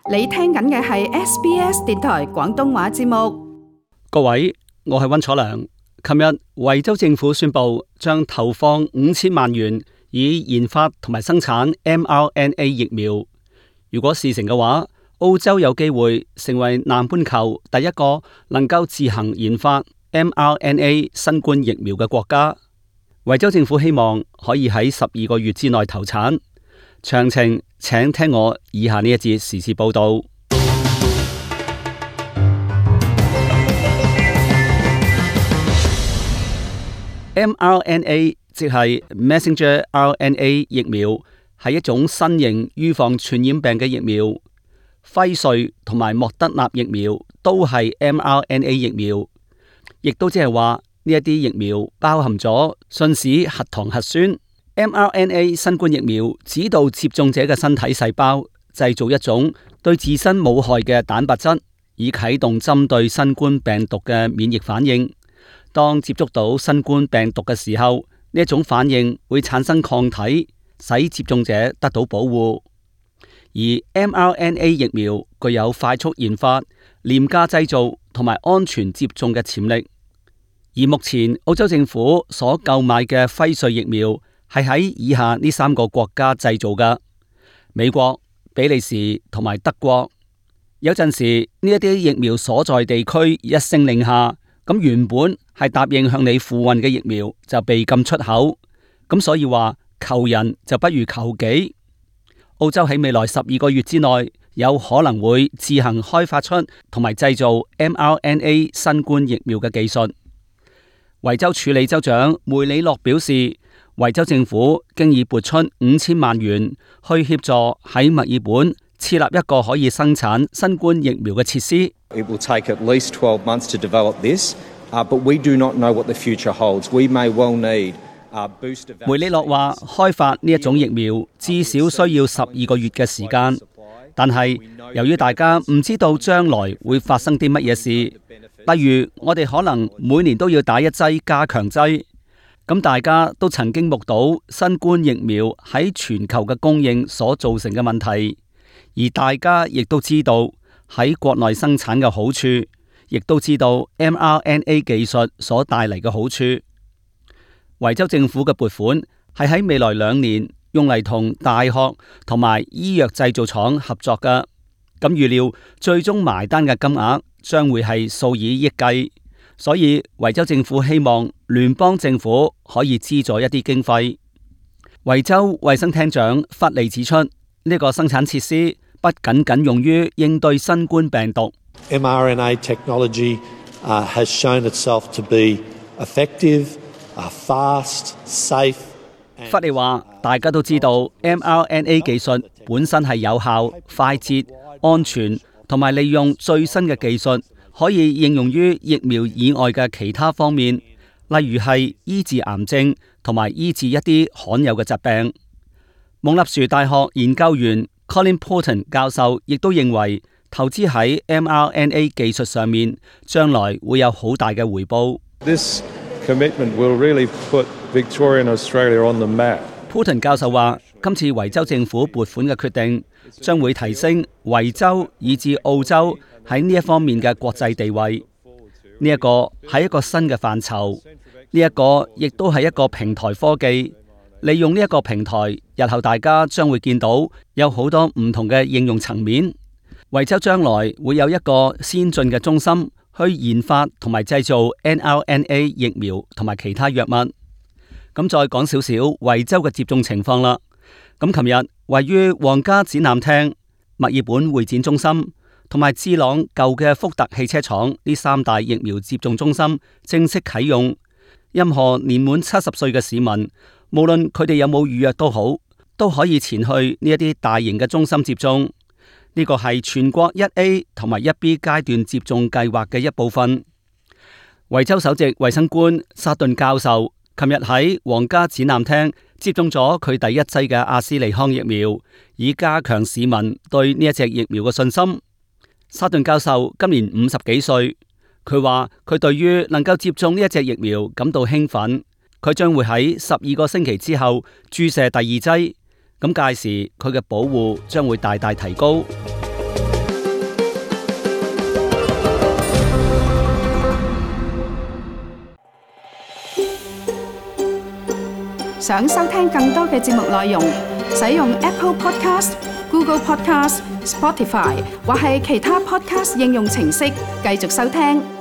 你聽緊嘅係 SBS 電台廣東話節目。各位，我係溫楚良。琴日維州政府宣布將投放5000萬元以研發同埋生產 mRNA 疫苗。如果事成嘅話，澳洲有機會成為南半球第一個能夠自行研發 mRNA 新冠疫苗嘅國家。維州政府希望可以喺12個月之內投產。詳情請聽我以下呢一節時事報道。mRNA 即係 Messenger RNA 疫苗，係一種新型預防傳染病嘅疫苗。輝瑞同埋莫德納疫苗都係 mRNA 疫苗，亦都即係話呢一啲疫苗包含咗信使核糖核酸。mRNA 新冠疫苗指導接種者嘅身體細胞製造一種對自身冇害嘅蛋白質，以啟動針對新冠病毒嘅免疫反應。當接觸到新冠病毒嘅時候，呢一種反應會產生抗體，使接種者得到保護。而 mRNA 疫苗具有快速研發、廉價製造同埋安全接種嘅潛力。而目前澳洲政府所購買嘅輝瑞疫苗係喺以下呢3個國家製造嘅：美國、比利時同埋德國。有陣時呢一啲疫苗所在地區一聲令下，咁原本係答應向你付運嘅疫苗就被禁出口。咁所以話求人就不如求己。澳洲喺未來12個月之內有可能會自行開發出同埋製造 mRNA 新冠疫苗嘅技術。維州處理州長梅里諾表示，維州政府經已撥出5000萬元去協助喺墨爾本設立一個可以生產新冠疫苗嘅設施。It will take at least 12 months to develop this, but we do not know what the future holds. We may well need booster vaccine. 梅里諾話，開發呢一種疫苗至少需要12個月嘅時間，但係由於大家唔知道將來會發生啲乜嘢事，例如我哋可能每年都要打一劑加強劑。咁大家都曾經目睹新冠疫苗喺全球嘅供應所造成嘅問題，而大家亦都知道喺國內生產嘅好處，亦都知道 mRNA 技術所帶嚟嘅好處。維州政府嘅撥款係喺未來2年用嚟同大學同埋醫藥製造廠合作嘅，咁預料最終埋單嘅金額將會係數以億計。所以維州政府希望聯邦政府可以資助一啲經費。維州衛生廳長弗利指出，呢個生產設施不僅僅用於應對新冠病毒。mRNA technology has shown itself to be effective, fast, safe. 弗利話：大家都知道 mRNA 技術本身係有效、快捷、安全，同埋利用最新嘅技術，可以應用於疫苗以外嘅其他方面，例如係醫治癌症同埋醫治一啲罕有嘅疾病。蒙納殊大學研究員 Colin Porton 教授亦都認為，投資喺 mRNA 技術上面，將來會有好大嘅回報。This commitment will really put Victoria and Australia on the map. Porton 教授話，今次維州政府撥款嘅決定，將會提升維州以至澳洲喺呢一方面嘅國際地位。呢一個係一個新嘅範疇，呢一個亦都係一個平台科技。利用呢一個平台，日後大家將會見到有好多唔同嘅應用層面。維州將來會有一個先進嘅中心去研發同埋製造 mRNA 疫苗同埋其他藥物。咁再講少少維州嘅接種情況啦。咁琴日位於皇家展覽廳、墨爾本會展中心同埋智朗舊嘅福特汽車廠呢3大疫苗接種中心正式啟用。任何年滿70歲嘅市民，無論佢哋有冇預約都好，都可以前去呢一啲大型嘅中心接種。呢個係全國1A 同埋1B 階段接種計劃嘅一部分。維州首席衛生官薩頓教授琴日喺皇家展覽廳接種咗佢第一劑嘅阿斯利康疫苗，以加強市民對呢一隻疫苗嘅信心。薩頓教授今年50幾歲，佢話佢對於能夠接種呢一隻疫苗感到興奮。佢將會喺12個星期之後注射第2劑，咁屆時佢嘅保護將會大大提高。想收聽更多嘅節目內容，使用 Apple Podcast、Google Podcast、Spotify 或係其他 Podcast 應用程式繼續收聽。